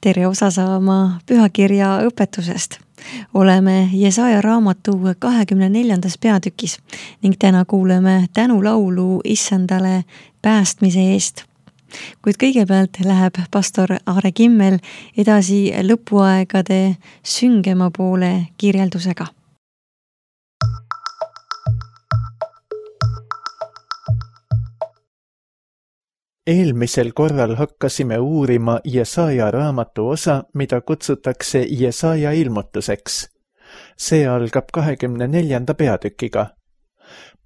Tere osa saama pühakirja õpetusest. Oleme Jesaja raamatu 24. peatükis ning täna kuuleme tänulaulu Issandale päästmise eest. Kuid kõigepealt läheb pastor Aare Kimmel edasi lõpuaegade süngema poole kirjeldusega. Eelmisel korral hakkasime uurima Jesaja raamatu osa, mida kutsutakse Jesaja ilmutuseks. See algab 24. peatükiga.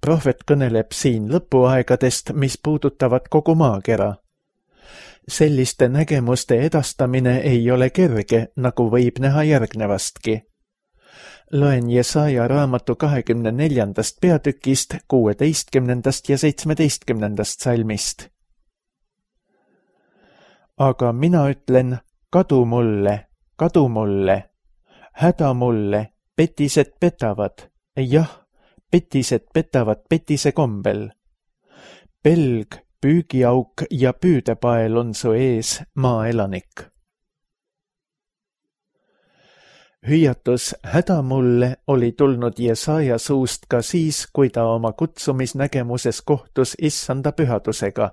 Prohvet kõneleb siin lõpuaegadest, mis puudutavad kogu maakera. Selliste nägemuste edastamine ei ole kerge, nagu võib näha järgnevastki. Loen Jesaja raamatu 24. peatükist 16. ja 17. salmist. Aga mina ütlen, kadu mulle, häda mulle, petised petavad, jah, petised petavad petise kombel. Pelg, püügiauk ja püüdepael on su ees, maaelanik. Hüüatus häda mulle oli tulnud Jesaja suust ka siis, kui ta oma kutsumisnägemuses kohtus Issanda pühadusega.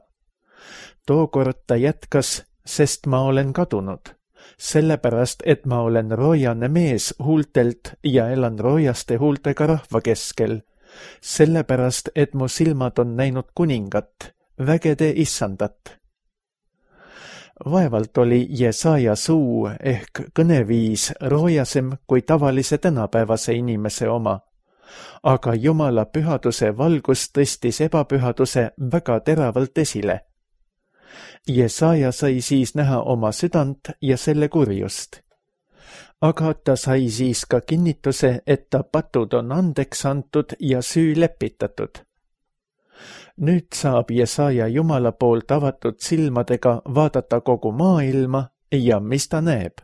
Tookord ta jätkas, sest ma olen kadunud, sellepärast, et ma olen roojane mees huultelt ja elan roojaste huultega rahva keskel, sellepärast, et mu silmad on näinud kuningat, vägede Issandat. Vaevalt oli Jesaja suu ehk kõneviis roojasem kui tavalise tänapäevase inimese oma, aga Jumala pühaduse valgus tõstis ebapühaduse väga teravalt esile. Jesaja sai siis näha oma südant ja selle kurjust. Aga ta sai siis ka kinnituse, et ta patud on andeks antud ja süü lepitatud. Nüüd saab Jesaja Jumala poolt avatud silmadega vaadata kogu maailma ja mis ta näeb.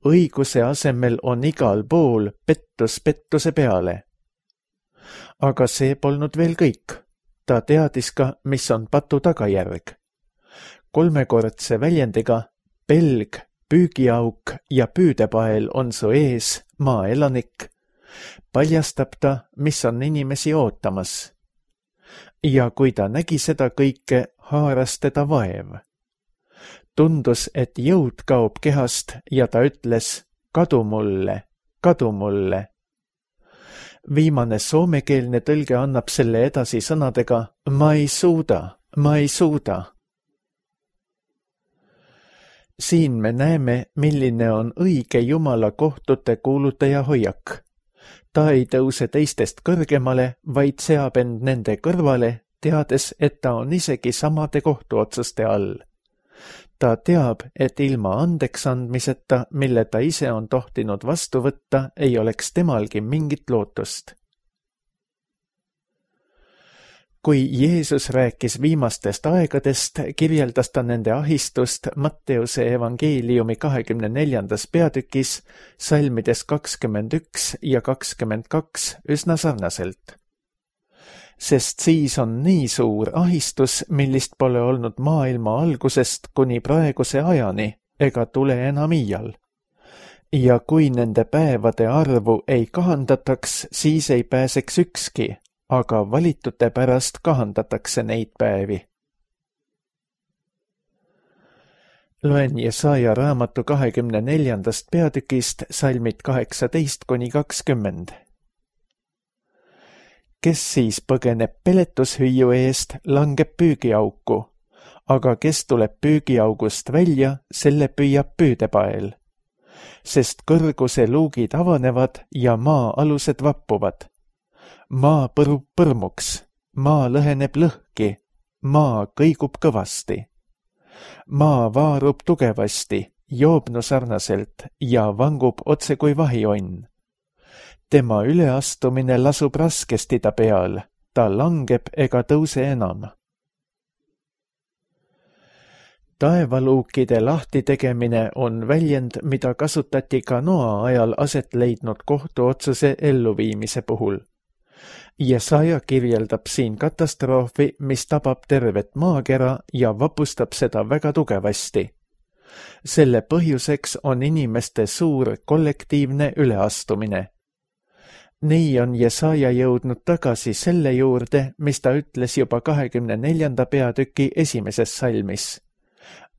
Õiguse asemel on igal pool pettus pettuse peale. Aga see polnud veel kõik. Ta teadis ka, mis on patu tagajärg. Kolmekordse väljendiga pelg, püügiauk ja püüdepael on su ees, maaelanik, paljastab ta, mis on inimesi ootamas. Ja kui ta nägi seda kõike, haaras teda vaev. Tundus, et jõud kaob kehast ja ta ütles, kadu mulle. Viimane soomekeelne tõlge annab selle edasi sõnadega, ma ei suuda. Siin me näeme, milline on õige Jumala kohtute kuulutaja hoiak. Ta ei tõuse teistest kõrgemale, vaid seab end nende kõrvale, teades, et ta on isegi samade kohtuotsuste all. Ta teab, et ilma andeks andmiseta, mille ta ise on tohtinud vastu võtta, ei oleks temalgi mingit lootust. Kui Jeesus rääkis viimastest aegadest, kirjeldas ta nende ahistust Matteuse evangeeliumi 24. peatükis, salmides 21 ja 22 üsna sarnaselt. Sest siis on nii suur ahistus, millist pole olnud maailma algusest kuni praeguse ajani, ega tule enam iial. Ja kui nende päevade arvu ei kahandataks, siis ei pääseks ükski, aga valitute pärast kahandatakse neid päevi. Loen Jesaja raamatu 24. peatükist salmid 18-20. Kes siis põgeneb peletushüüu eest, langeb püügiauku, aga kes tuleb püügiaugust välja, selle püüab püüdepael. Sest kõrguse luugid avanevad ja maa alused vappuvad. Maa põrub põrmuks, maa lõheneb lõhki, maa kõigub kõvasti. Maa vaarub tugevasti, joobnu sarnaselt ja vangub otse kui vahionn. Tema üleastumine lasub raskesti ta peal, ta langeb ega tõuse enam. Taevaluukide lahtitegemine on väljend, mida kasutati ka Noa ajal aset leidnud kohtuotsuse elluviimise puhul. Jesaja kirjeldab siin katastroofi, mis tabab tervet maakera ja vapustab seda väga tugevasti. Selle põhjuseks on inimeste suur kollektiivne üleastumine. Nii on Jesaja jõudnud tagasi selle juurde, mis ta ütles juba 24. peatüki 1. salmis.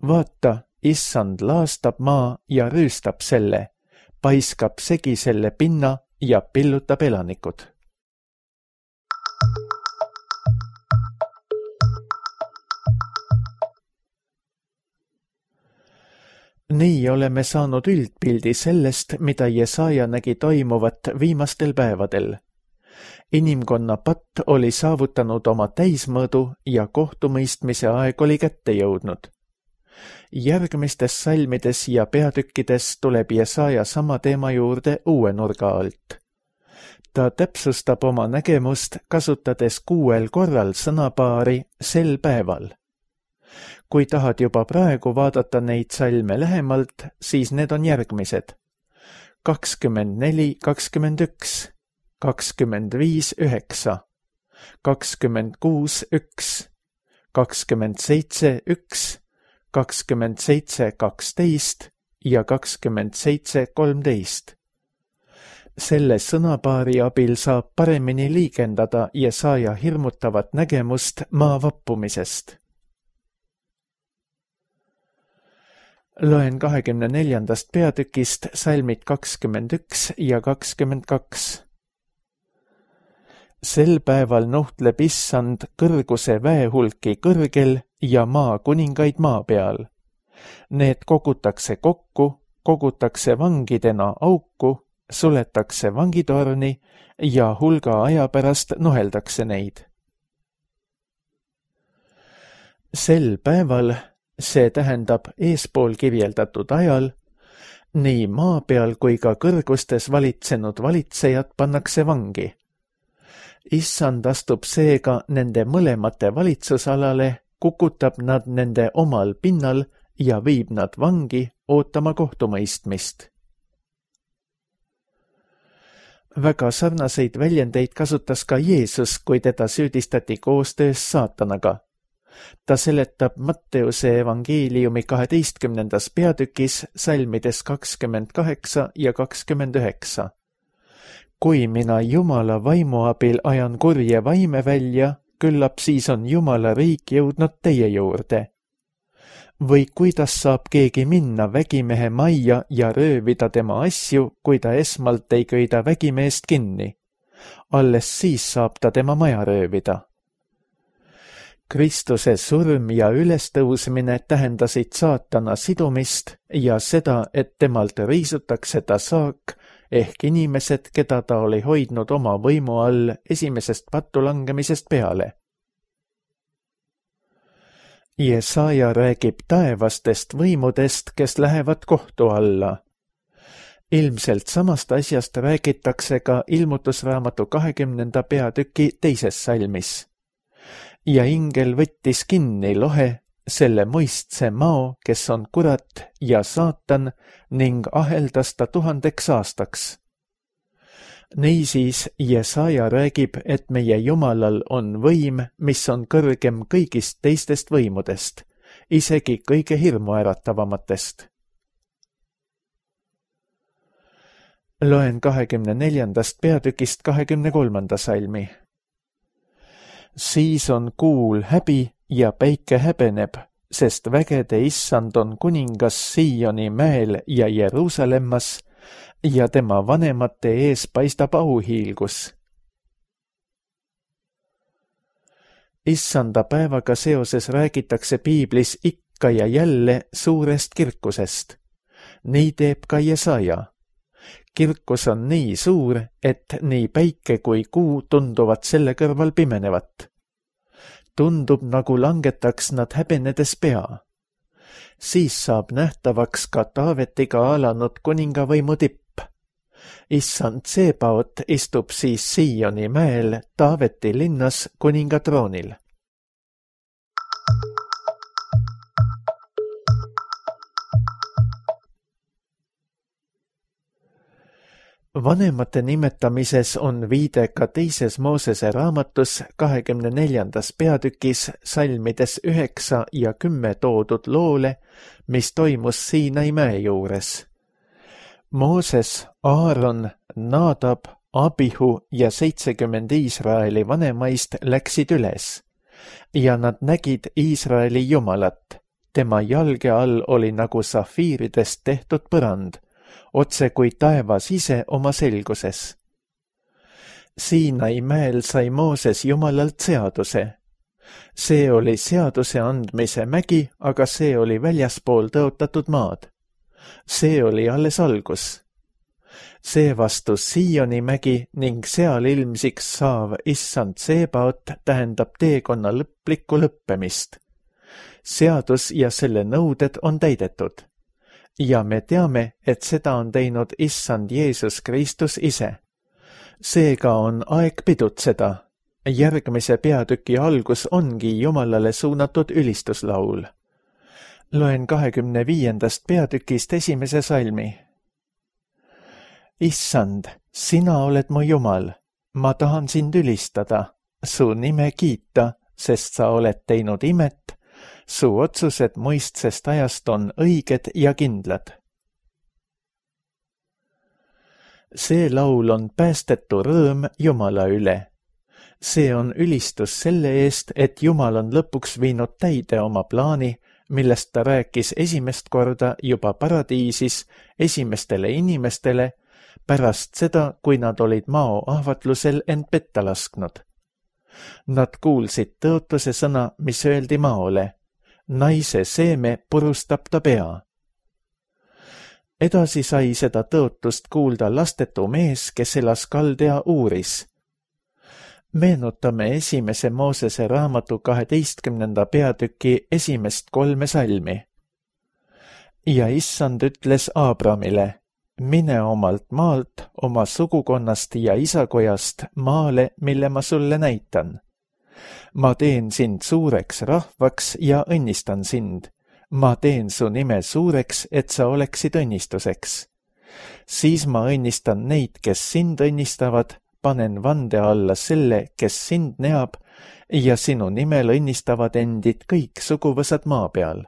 Vaata, issand laastab maa ja rüüstab selle, paiskab segi selle pinna ja pillutab elanikud. Nii oleme saanud üldpildi sellest, mida Jesaja nägi toimuvat viimastel päevadel. Inimkonna patt oli saavutanud oma täismõõdu ja kohtumõistmise aeg oli kätte jõudnud. Järgmistes salmides ja peatükkides tuleb Jesaja sama teema juurde uue nurga alt. Ta täpsustab oma nägemust, kasutades 6 korral sõnapaari sel päeval. Kui tahad juba praegu vaadata neid salme lähemalt, siis need on järgmised. 24, 21, 25, 9, 26, 1, 27, 1, 27, 12 ja 27, 13. Selle sõnapaari abil saab paremini liigendada Jesaja hirmutavat nägemust maa vappumisest. Loen 24. peatükist salmid 21 ja 22. Sel päeval nuhtleb issand kõrguse väehulki kõrgel ja maa kuningaid maa peal. Need kogutakse kokku, kogutakse vangidena auku, suletakse vangitorni ja hulga aja pärast nuheldakse neid. Sel päeval, see tähendab eespool kirjeldatud ajal, nii maa peal kui ka kõrgustes valitsenud valitsejad pannakse vangi. Issand astub seega nende mõlemate valitsusalale, kukutab nad nende omal pinnal ja viib nad vangi ootama kohtumõistmist. Väga sarnaseid väljendeid kasutas ka Jeesus, kui teda süüdistati koostöös saatanaga. Ta seletab Matteuse evangeeliumi 12. peatükis salmides 28 ja 29. Kui mina Jumala vaimu abil ajan kurje vaime välja, küllap siis on Jumala riik jõudnud teie juurde. Või kuidas saab keegi minna vägimehe majja ja röövida tema asju, kui ta esmalt ei köida vägimeest kinni? Alles siis saab ta tema maja röövida. Kristuse surm ja ülestõusmine tähendasid saatana sidumist ja seda, et temalt riisutakse ta saak ehk inimesed, keda ta oli hoidnud oma võimu all esimesest pattulangemisest peale. Jesaja räägib taevastest võimudest, kes lähevad kohtu alla. Ilmselt samast asjast räägitakse ka ilmutusraamatu 20. peatüki 2. salmis. Ja ingel võttis kinni lohe, selle muistse mao, kes on kurat ja saatan, ning aheldas ta 1000 aastaks. Niisiis Jesaja räägib, et meie Jumalal on võim, mis on kõrgem kõigist teistest võimudest, isegi kõige hirmuäratavamatest. Loen 24. peatükist 23. salmi. Siis on kuul häbi ja päike häbeneb, sest vägede issand on kuningas Sioni mäel ja Jeruusalemmas ja tema vanemate ees paistab auhiilgus. Issanda päevaga seoses räägitakse piiblis ikka ja jälle suurest kirkusest. Nii teeb ka Jesaja. Kirkus on nii suur, et nii päike kui kuu tunduvad selle kõrval pimenevat. Tundub, nagu langetaks nad häbenedes pea. Siis saab nähtavaks ka Taavetiga alanud kuningavõimu tipp. Issand Tsebaot istub siis Sioni mäel Taaveti linnas kuningatroonil. Vanemate nimetamises on viide ka teises Moosese raamatus 24. peatükis salmides 9 ja 10 toodud loole, mis toimus Siinai mäe juures. Mooses, Aaron, Nadab, Abihu ja 70 Iisraeli vanemaist läksid üles ja nad nägid Iisraeli Jumalat. Tema jalge all oli nagu safiiridest tehtud põrand, otse kui taevas ise oma selguses. Siinai mäel sai Mooses Jumalalt seaduse. See oli seaduse andmise mägi, aga see oli väljaspool tõotatud maad. See oli alles algus. Seevastu Sioni mägi ning seal ilmsiks saav issand Sebaot tähendab teekonna lõplikku lõppemist. Seadus ja selle nõuded on täidetud. Ja me teame, et seda on teinud issand Jeesus Kristus ise. Seega on aeg pidutseda. Järgmise peatüki algus ongi Jumalale suunatud ülistuslaul. Loen 25. peatükist 1. salmi. Issand, sina oled mu Jumal, ma tahan sind ülistada, su nime kiita, sest sa oled teinud imet, su otsused mõistsest ajast on õiged ja kindlad. See laul on päästetu rõõm Jumala üle. See on ülistus selle eest, et Jumal on lõpuks viinud täide oma plaani, millest ta rääkis esimest korda juba paradiisis esimestele inimestele, pärast seda, kui nad olid mao ahvatlusel end petta lasknud. Nad kuulsid tõotuse sõna, mis öeldi maole. Naise seeme purustab ta pea. Edasi sai seda tõotust kuulda lastetu mees, kes elas Kaldea Uuris. Meenutame esimese Moosese raamatu 12. peatüki 3 salmi. Ja issand ütles Aabramile, mine omalt maalt, oma sugukonnast ja isakojast maale, mille ma sulle näitan. Ma teen sind suureks rahvaks ja õnnistan sind. Ma teen su nime suureks, et sa oleksid õnnistuseks. Siis ma õnnistan neid, kes sind õnnistavad, panen vande alla selle, kes sind neab, ja sinu nimel õnnistavad endid kõik suguvõsad maa peal.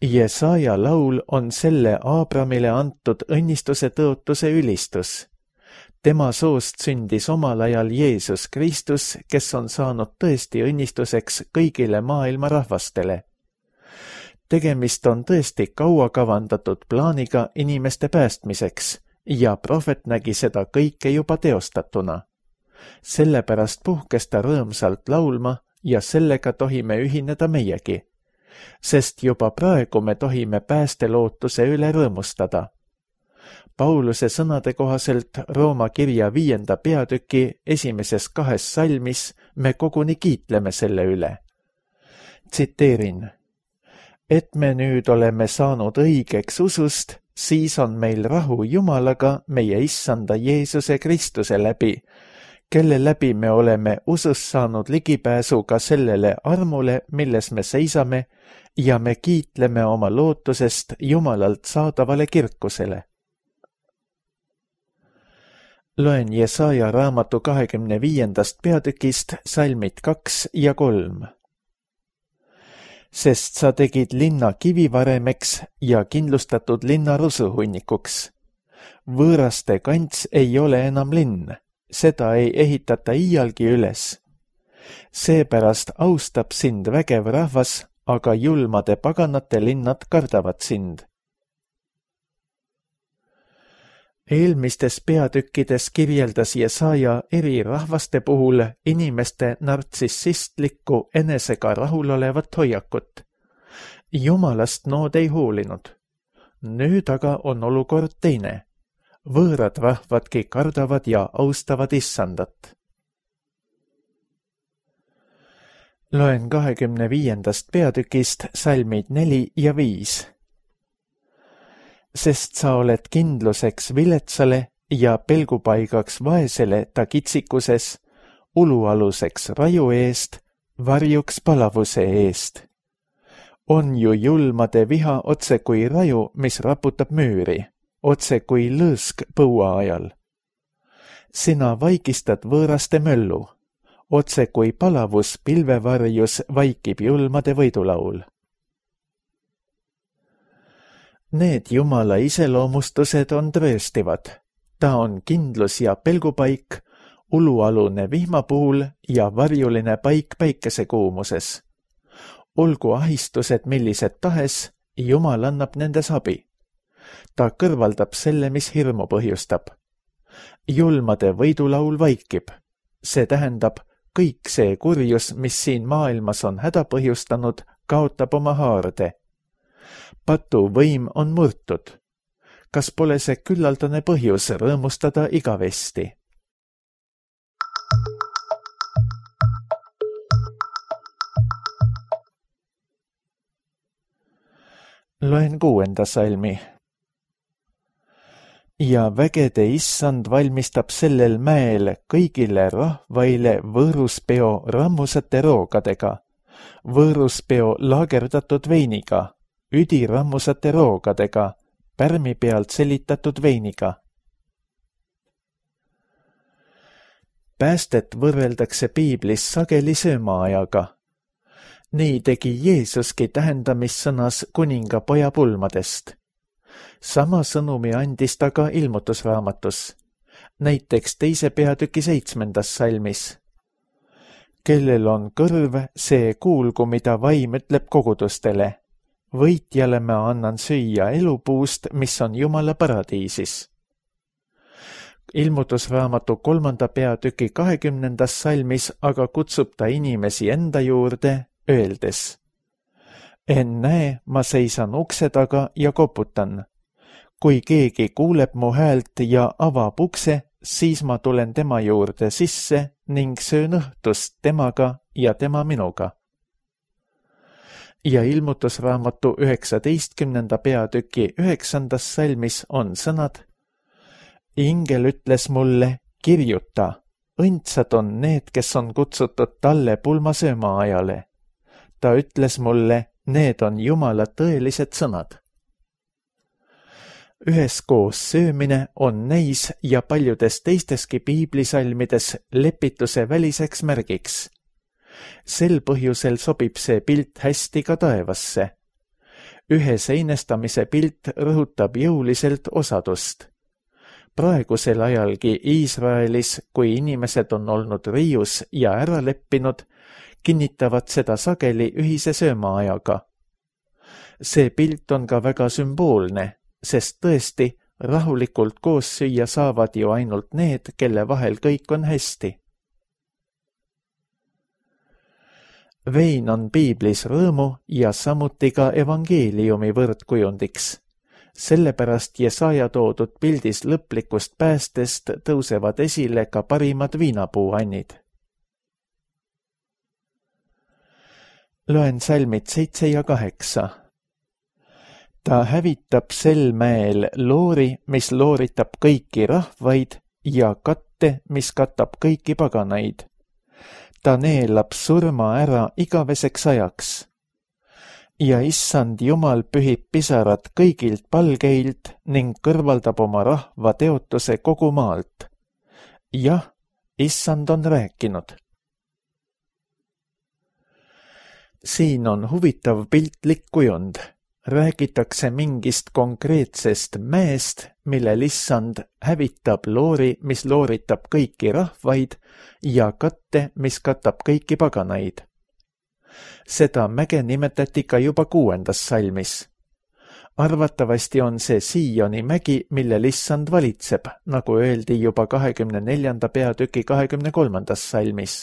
Jesaja laul on selle Aabramile antud õnnistuse tõotuse ülistus. Tema soost sündis omal ajal Jeesus Kristus, kes on saanud tõesti õnnistuseks kõigile maailma rahvastele. Tegemist on tõesti kaua kavandatud plaaniga inimeste päästmiseks ja prohvet nägi seda kõike juba teostatuna. Sellepärast puhkes ta rõõmsalt laulma ja sellega tohime ühineda meiegi, sest juba praegu me tohime päästelootuse üle rõõmustada. Pauluse sõnade kohaselt Rooma kirja 5. peatüki 1. 2 salmis me koguni kiitleme selle üle. Tsiteerin. Et me nüüd oleme saanud õigeks usust, siis on meil rahu Jumalaga meie issanda Jeesuse Kristuse läbi, kelle läbi me oleme usus saanud ligipääsu ka sellele armule, milles me seisame, ja me kiitleme oma lootusest Jumalalt saadavale kirkusele. Loen Jesaja raamatu 25. peatükist salmid 2 ja 3. Sest sa tegid linna kivivaremeks ja kindlustatud linna rusuhunnikuks. Võõraste kants ei ole enam linn, seda ei ehitata iialgi üles. Seepärast austab sind vägev rahvas, aga julmade paganate linnad kardavad sind. Eelmistes peatükkides kirjeldas Jesaja eri rahvaste puhul inimeste nartsissistlikku enesega rahulolevat hoiakut. Jumalast nood ei hoolinud. Nüüd aga on olukord teine. Võõrad rahvadki kardavad ja austavad issandat. Loen 25. peatükist salmid 4 ja 5. Sest sa oled kindluseks viletsale ja pelgupaigaks vaesele ta kitsikuses, ulualuseks raju eest, varjuks palavuse eest. On ju julmade viha otse kui raju, mis raputab müüri, otse kui lõõsk põua ajal. Sina vaigistad võõraste möllu, otse kui palavus pilvevarjus vaikib julmade võidulaul. Need Jumala iseloomustused on tõestivad. Ta on kindlus ja pelgupaik, ulualune vihma puhul ja varjuline paik päikesekuumuses. Olgu ahistused millised tahes, Jumal annab nendes abi. Ta kõrvaldab selle, mis hirmu põhjustab. Julmade võidulaul vaikib. See tähendab, kõik see kurjus, mis siin maailmas on häda põhjustanud, kaotab oma haarde. Patu võim on murtud. Kas pole see küllaldane põhjus rõõmustada igavesti? Loen 6. salmi. Ja vägede issand valmistab sellel mäel kõigile rahvaile võõruspeo rammusate roogadega, võõruspeo laagerdatud veiniga, üdirammusate roogadega, pärmi pealt selitatud veiniga. Päästet võrreldakse piiblis sageli söömaajaga. Nii tegi Jeesuski tähendamissõnas kuninga poja pulmadest. Sama sõnumi andis ta ka ilmutusraamatus, näiteks 2. peatüki 7. salmis. Kellel on kõrv, see kuulgu, mida vaim ütleb kogudustele. Võitjale ma annan süüa elupuust, mis on Jumala paradiisis. Ilmutusraamatu 3. peatüki 20. salmis aga kutsub ta inimesi enda juurde, öeldes: Ennäe, ma seisan ukse taga ja koputan. Kui keegi kuuleb mu häält ja avab ukse, siis ma tulen tema juurde sisse ning söön õhtust temaga ja tema minuga. Ja ilmutusraamatu 19. peatüki 9. salmis on sõnad: Ingel ütles mulle, kirjuta, õndsad on need, kes on kutsutud talle pulmasööma ajale. Ta ütles mulle, need on Jumala tõelised sõnad. Üheskoos söömine on neis ja paljudes teisteski piiblisalmides lepituse väliseks märgiks. Sel põhjusel sobib see pilt hästi ka taevasse. Ühe seinestamise pilt rõhutab jõuliselt osadust. Praegusel ajalgi Iisraelis, kui inimesed on olnud riius ja ära leppinud, kinnitavad seda sageli ühise söömaajaga. See pilt on ka väga sümboolne, sest tõesti, rahulikult koos süüa saavad ju ainult need, kelle vahel kõik on hästi. Vein on piiblis rõõmu ja samuti ka evangeeliumi võrdkujundiks. Sellepärast Jesaja toodud pildis lõplikust päästest tõusevad esile ka parimad viinapuuannid. Loen salmid 7 ja 8. Ta hävitab sel mäel loori, mis looritab kõiki rahvaid, ja katte, mis katab kõiki paganaid. Ta neelab surma ära igaveseks ajaks. Ja issand Jumal pühib pisarad kõigilt palgeilt ning kõrvaldab oma rahva teotuse kogu maalt. Jah, issand on rääkinud. Siin on huvitav piltlik kujund. Räägitakse mingist konkreetsest mäest, millel issand hävitab loori, mis looritab kõiki rahvaid, ja katte, mis katab kõiki paganaid. Seda mäge nimetati ka juba 6. salmis. Arvatavasti on see Sioni mägi, millel issand valitseb, nagu öeldi juba 24. peatüki 23. salmis.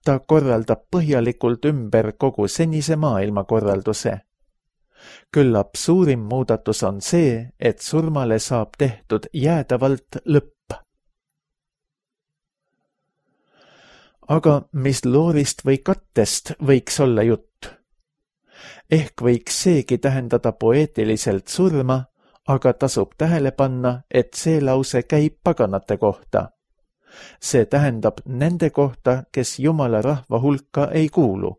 Ta korraldab põhjalikult ümber kogu senise maailmakorralduse. Küllap suurim muudatus on see, et surmale saab tehtud jäädavalt lõpp. Aga mis loorist või kattest võiks olla jutt? Ehk võiks seegi tähendada poeetiliselt surma, aga tasub tähele panna, et see lause käib paganate kohta. See tähendab nende kohta, kes Jumala rahva hulka ei kuulu.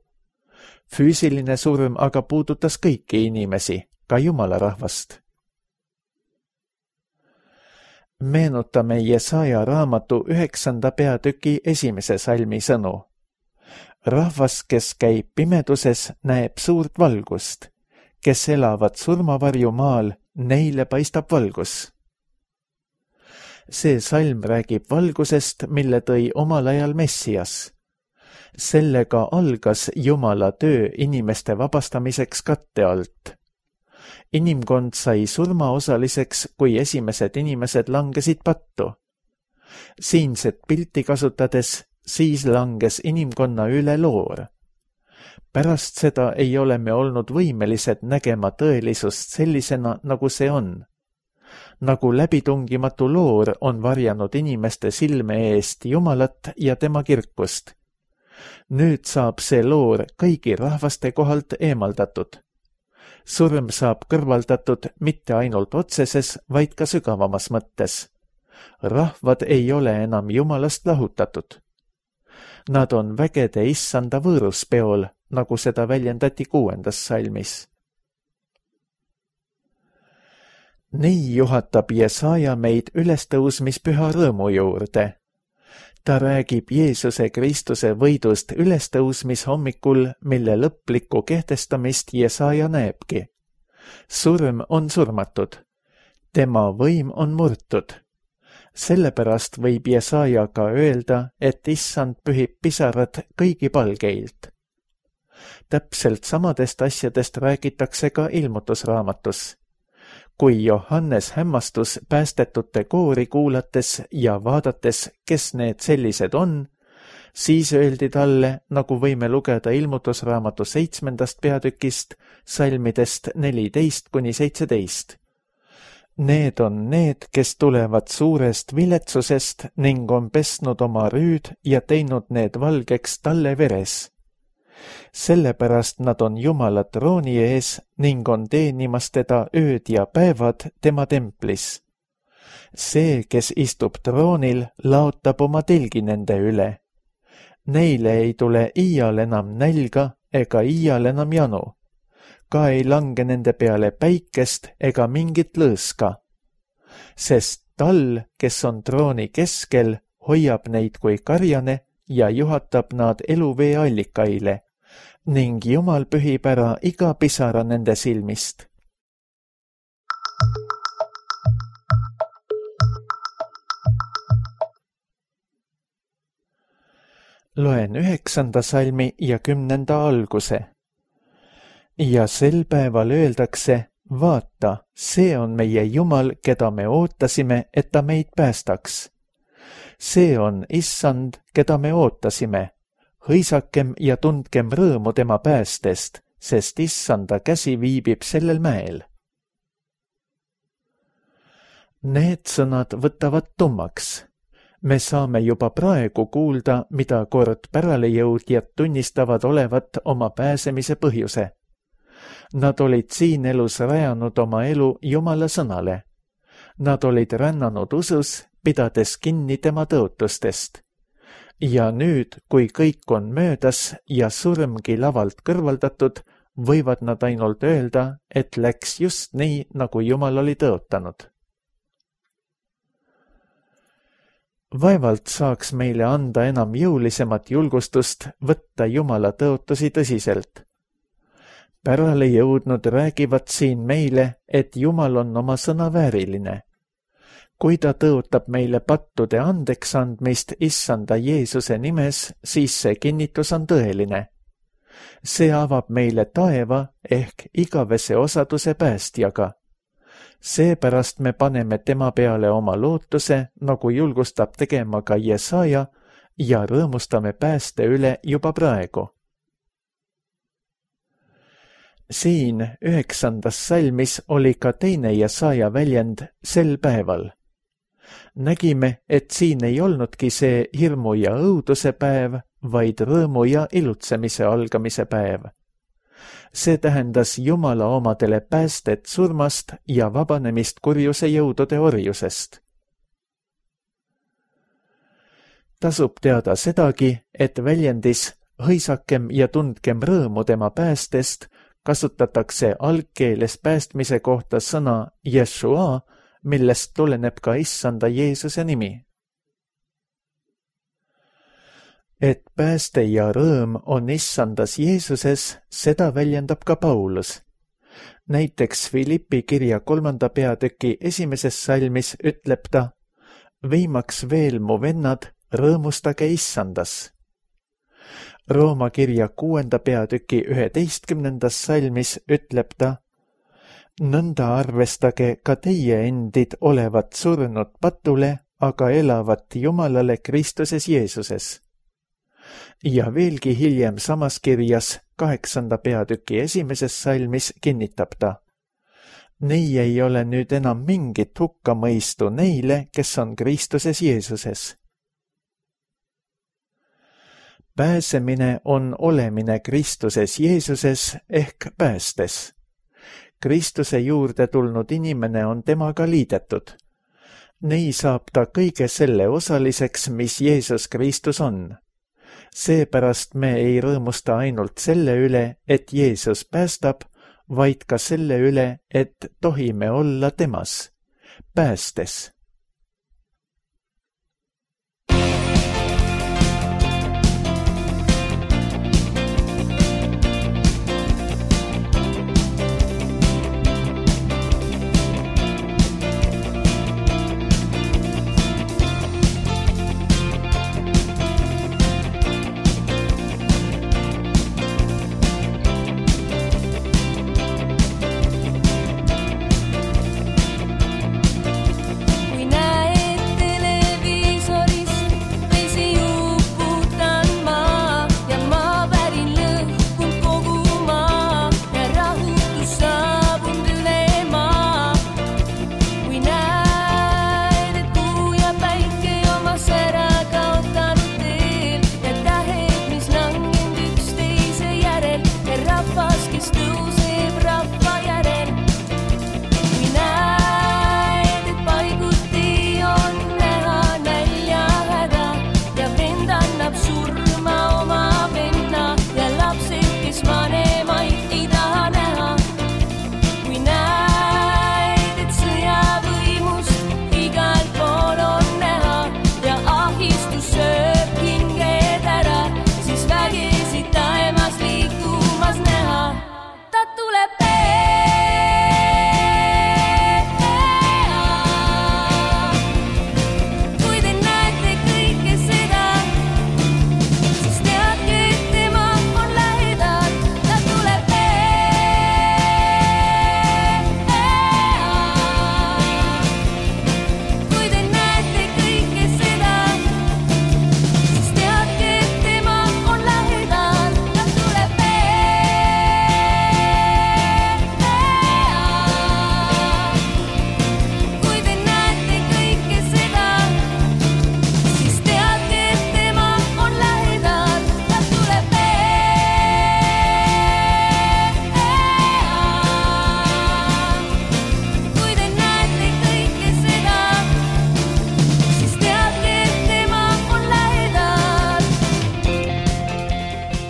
Füüsiline surm aga puudutas kõiki inimesi, ka Jumala rahvast. Meenutame Jesaja raamatu 9. peatüki 1. salmi sõnu. Rahvas, kes käib pimeduses, näeb suurt valgust. Kes elavad surmavarju maal, neile paistab valgus. See salm räägib valgusest, mille tõi omal ajal Messias. Sellega algas Jumala töö inimeste vabastamiseks katte alt. Inimkond sai surmaosaliseks, kui esimesed inimesed langesid pattu. Siinset pilti kasutades siis langes inimkonna üle loor. Pärast seda ei ole me olnud võimelised nägema tõelisust sellisena, nagu see on. Nagu läbitungimatu loor on varjanud inimeste silme eest Jumalat ja tema kirkust. Nüüd saab see loor kõigi rahvaste kohalt eemaldatud. Surm saab kõrvaldatud mitte ainult otseses, vaid ka sügavamas mõttes. Rahvad ei ole enam Jumalast lahutatud. Nad on vägede issanda võõruspeol, nagu seda väljendati 6. salmis. Nii juhatab Jesaja meid ülestõusmispüha rõõmu juurde. Ta räägib Jeesuse Kristuse võidust ülestõusmishommikul, mille lõplikku kehtestamist Jesaja näebki. Surm on surmatud. Tema võim on murtud. Sellepärast võib Jesaja ka öelda, et issand pühib pisarad kõigi palgeilt. Täpselt samadest asjadest räägitakse ka ilmutusraamatus. Kui Johannes hämmastus päästetute koori kuulates ja vaadates, kes need sellised on, siis öeldi talle, nagu võime lugeda ilmutusraamatu 7. peatükist, salmidest 14-17. Need on need, kes tulevad suurest viletsusest ning on pesnud oma rüüd ja teinud need valgeks talle veres. Sellepärast nad on Jumala trooni ees ning on teenimas teda ööd ja päevad tema templis. See, kes istub troonil, laotab oma telgi nende üle. Neile ei tule iial enam nälga ega iial enam janu. Ka ei lange nende peale päikest ega mingit lõõska. Sest tal, kes on trooni keskel, hoiab neid kui karjane ja juhatab nad eluvee allikaile. Ning Jumal pühib ära iga pisara nende silmist. Loen 9. salmi ja 10. alguse. Ja sel päeval öeldakse, vaata, see on meie Jumal, keda me ootasime, et ta meid päästaks. See on issand, keda me ootasime. Hõisakem ja tundkem rõõmu tema päästest, sest issanda käsi viibib sellel mäel. Need sõnad võtavad tummaks. Me saame juba praegu kuulda, mida kord päralejõudjad tunnistavad olevat oma pääsemise põhjuse. Nad olid siin elus rajanud oma elu Jumala sõnale. Nad olid rännanud usus, pidades kinni tema tõotustest. Ja nüüd, kui kõik on möödas ja surmgi lavalt kõrvaldatud, võivad nad ainult öelda, et läks just nii, nagu Jumal oli tõotanud. Vaevalt saaks meile anda enam jõulisemat julgustust võtta Jumala tõotusi tõsiselt. Pärale jõudnud räägivad siin meile, et Jumal on oma sõna vääriline. Kui ta tõotab meile pattude andeks andmist issanda Jeesuse nimes, siis see kinnitus on tõeline. See avab meile taeva ehk igavese osaduse päästjaga. Seepärast me paneme tema peale oma lootuse, nagu julgustab tegema ka Jesaja, ja rõõmustame pääste üle juba praegu. Siin 9. salmis oli ka teine Jesaja väljend sel päeval. Nägime, et siin ei olnudki see hirmu ja õuduse päev, vaid rõõmu ja ilutsemise algamise päev. See tähendas Jumala omadele päästet surmast ja vabanemist kurjuse jõudude orjusest. Tasub teada sedagi, et väljendis hõisakem ja tundkem rõõmu tema päästest, kasutatakse algkeeles päästmise kohta sõna Yeshua, millest tuleneb ka issanda Jeesuse nimi. Et pääste ja rõõm on issandas Jeesuses, seda väljendab ka Paulus. Näiteks Filippi kirja 3. peatüki 1. salmis ütleb ta: viimaks veel, mu vennad, rõõmustage issandas. Rooma kirja 6. peatüki 11. salmis ütleb ta: nõnda arvestage ka teie endid olevat surnud patule, aga elavat Jumalale Kristuses Jeesuses. Ja veelgi hiljem samas kirjas 8. peatüki 1. salmis kinnitab ta: nii ei ole nüüd enam mingit hukkamõistu neile, kes on Kristuses Jeesuses. Pääsemine on olemine Kristuses Jeesuses ehk päästes. Kristuse juurde tulnud inimene on temaga liidetud. Nii saab ta kõige selle osaliseks, mis Jeesus Kristus on. Seepärast me ei rõõmusta ainult selle üle, et Jeesus päästab, vaid ka selle üle, et tohime olla temas, päästes.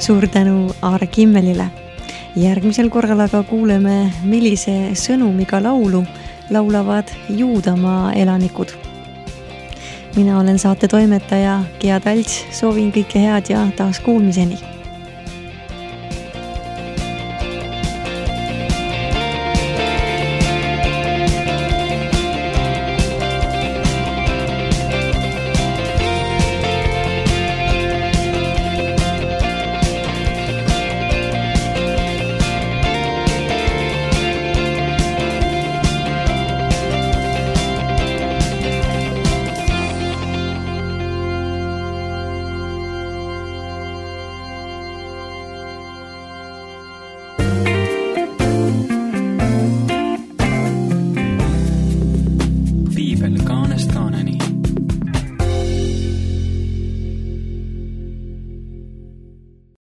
Suur tänu Aare Kimmelile. Järgmisel korral aga kuuleme, millise sõnumiga laulu laulavad Juudamaa elanikud. Mina olen saate toimetaja Gea Talts, soovin kõike head ja taas kuulmiseni.